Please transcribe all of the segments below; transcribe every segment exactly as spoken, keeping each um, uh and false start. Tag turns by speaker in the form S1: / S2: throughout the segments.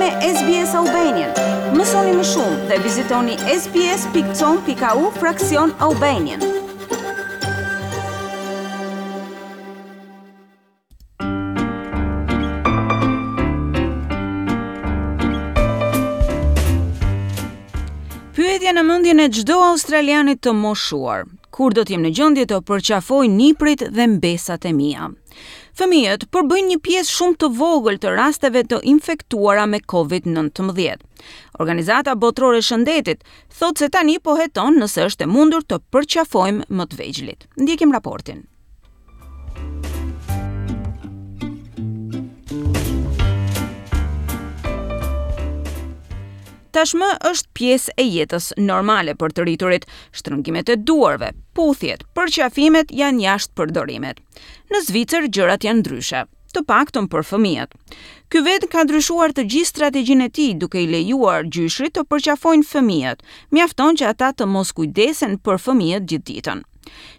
S1: me S B S Albanian. Mësoni më shumë dhe vizitoni S B S pikë com pikë A U fraksion Albanian. Pyetja në mendjen e çdo australiani të moshuar: Kur do të jem në gjendje të përqafoj niprit dhe mbesat e mia? Fëmijët përbëjnë një pjesë shumë të vogël të rasteve të infektuara me COVID nëntëmbëdhjetë. Organizata Botërore e Shëndetit thotë se tani po heton nëse është e mundur të përqafojmë më të vegjlit. Ndjekim raportin. Tashmë është pjesë e jetës normale për të rriturit. Shtrëngimet e duarve, puthjet, përqafimet janë jashtë përdorimit. Në Zvicër gjërat janë ndryshe, të paktën për fëmijët. Ky vend ka ndryshuar të gjithë strategjinë e tij, duke i lejuar gjyshrit të përqafojnë fëmijët. Mjafton që ata të mos kujdesen për fëmijët gjithë ditën.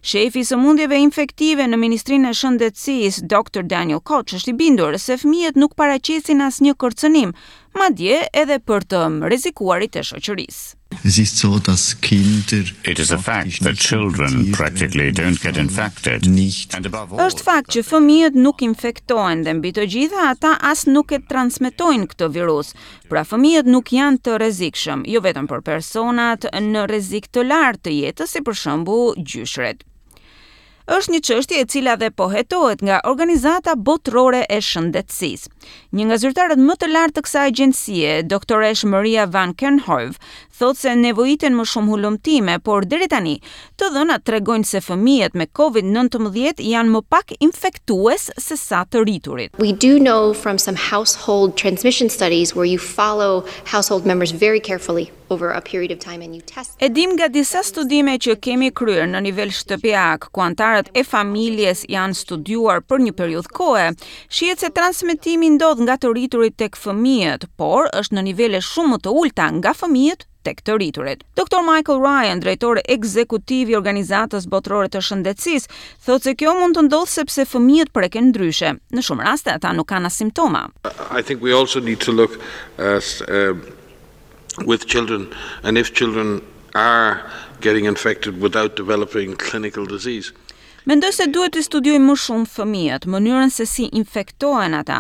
S1: Shefi i sëmundjeve infektive në Ministrinë e Shëndetësisë, Doktor Daniel Koch, është i bindur se fëmijët nuk paraqesin asnjë kërcënim, madje edhe për të rrezikuarit e shoqërisë.
S2: Es ist so, dass Kinder
S3: It is a fact that children practically don't get infected.
S2: Nicht
S3: And above all,
S1: Është fakt që fëmijët nuk infektohen dhe mbi të gjitha ata as nuk e transmetojnë këtë virus. Pra, fëmijët nuk janë të rrezikshëm, jo vetëm për personat në rrezik të lartë të jetës, si për shembull gjyshret. Është një çështje e cila dhe po hetohet nga Organizata Botërore e Shëndetësisë. Një nga zyrtarët më të lartë të kësaj agjencie, doktoresh Maria Van Kerkhove, thotë se nevojiten më shumë hulumtime, por deri tani të dhënat tregojnë se fëmijët me COVID nëntëmbëdhjetë janë më pak infektues se sa të rriturit.
S4: We do know from some household transmission studies where you follow household members very carefully over a period of time and you test
S1: E dim nga disa studime që kemi kryer në nivel shtëpiak, ku antarët e familjes janë studiuar për një periudhë kohe, shihet se transmetimi ndodh nga të rriturit tek fëmijët, por është në nivele shumë më të ulta nga fëmijët tek të rriturit. Doktor Michael Ryan, drejtor ekzekutiv i Organizatës Botërore të Shëndetësisë, thotë se kjo mund të ndodhë sepse fëmijët preken ndryshe. Në shumë raste ata nuk kanë as simptoma.
S5: I think we also need to look at uh, with children and if children are getting infected without developing clinical disease.
S1: Mendoj se duhet të studiojmë më shumë fëmijët, mënyrën se si infektohen ata,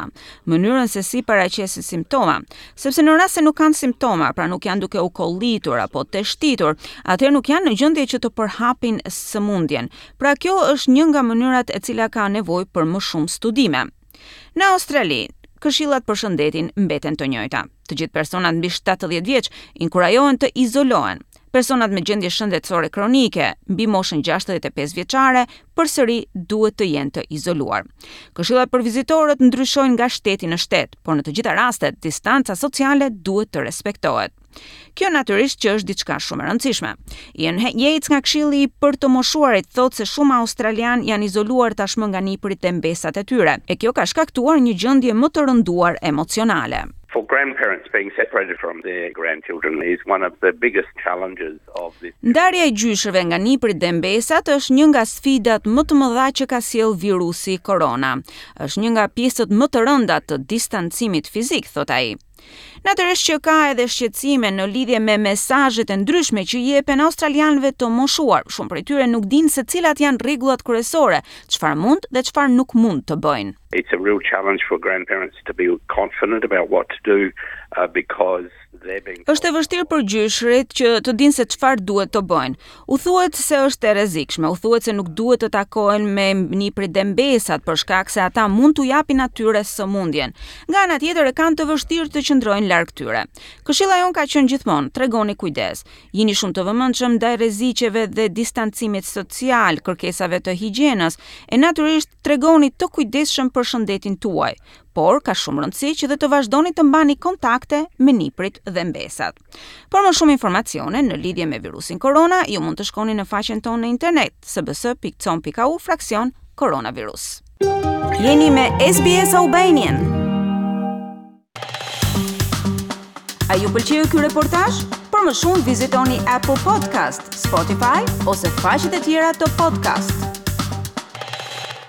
S1: mënyrën se si paraqesin simptoma, sepse në rast se nuk kanë simptoma, pra nuk janë duke u kollitur apo teshtitur, atëherë nuk janë në gjendje që të përhapin sëmundjen. Pra, kjo është një nga mënyrat e cila ka nevojë për më shumë studime. Në Australi, këshillat për shëndetin mbeten të njëjta. Të gjithë personat mbi shtatëdhjetë vjeç inkurajohen të izolohen. Personat me gjendje shëndetësore kronike mbi moshën gjashtëdhjetë e pesë vjeçare përsëri duhet të jenë të izoluar. Këshillat për vizitorët ndryshojnë nga shteti në shtet, por në të gjitha rastet distanca sociale duhet të respektohet. Kjo natyrisht që është diçka shumë e rëndësishme. Ian Yates nga Këshilli për të moshuarit thotë se shumë australian janë izoluar tashmë nga nipërit dhe mbesat e tyre, e kjo ka shkaktuar një gjendje më të rënduar emocionale.
S6: For grandparents, being separated from their grandchildren is one of the biggest challenges of this.
S1: Ndarja e gjyshërve nga nipërit dhe mbesat është një nga sfidat më të mëdha që ka sjell virusi korona. Është një nga pjesët më të rënda të distancimit fizik, thot ai. Natyrisht që ka edhe shqetësime në lidhje me mesazhet e ndryshme që jepen australianëve të moshuar. Shumë prej tyre nuk dinë se cilat janë rregullat kryesore, çfarë mund dhe çfarë nuk mund të bëjnë.
S6: It's a real challenge for grandparents to be confident about what to do uh, because they're being
S1: Është e vështirë për gjyshërit që të dinë se çfarë duhet të bëjnë. U thuhet se është e rrezikshme, u thuhet se nuk duhet të takohen me nipërit dhe mbesat për shkak se ata mund t'u japin atyre sëmundjen. Nga ana tjetër, e kanë të vështirë të qëndrojnë larg tyre. Këshilla jon ka qenë gjithmonë: tregoni kujdes. Jini shumë të vëmendshëm ndaj rreziqeve dhe distancimit social, kërkesave të higjienës, e natyrisht tregoni të kujdesshëm për shëndetin tuaj. Por ka shumë rëndësi që dhe të vazhdoni të mbani kontakte me niprit dhe mbesat. Për më shumë informacione në lidhje me virusin korona, ju mund të shkoni në faqen tonë në internet S B S pikë com pikë A U fraksion koronavirus. Jeni me S B S Albanian. A ju pëlqeu ky reportazh? Për më shumë vizitoni Apple Podcast, Spotify ose faqet e tjera të podcast.